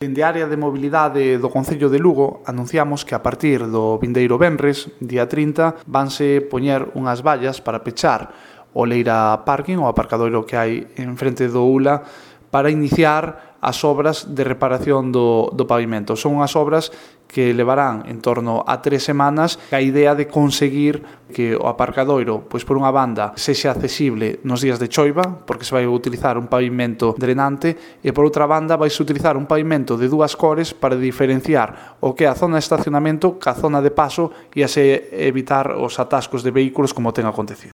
Dende a área de mobilidade do Concello de Lugo anunciamos que a partir do vindeiro venres, día 30, vanse poñer unhas vallas para pechar o Leira Parking, o aparcadoiro que hai en frente do ULA, para iniciar as obras de reparación do pavimento. Son unhas obras que levarán en torno a 3 semanas, a idea de conseguir que o aparcadoiro, pois por unha banda, sexa accesible nos días de choiva, porque se vai utilizar un pavimento drenante, e por outra banda vai se utilizar un pavimento de dúas cores para diferenciar o que é a zona de estacionamento ca zona de paso e así evitar os atascos de vehículos como ten acontecido.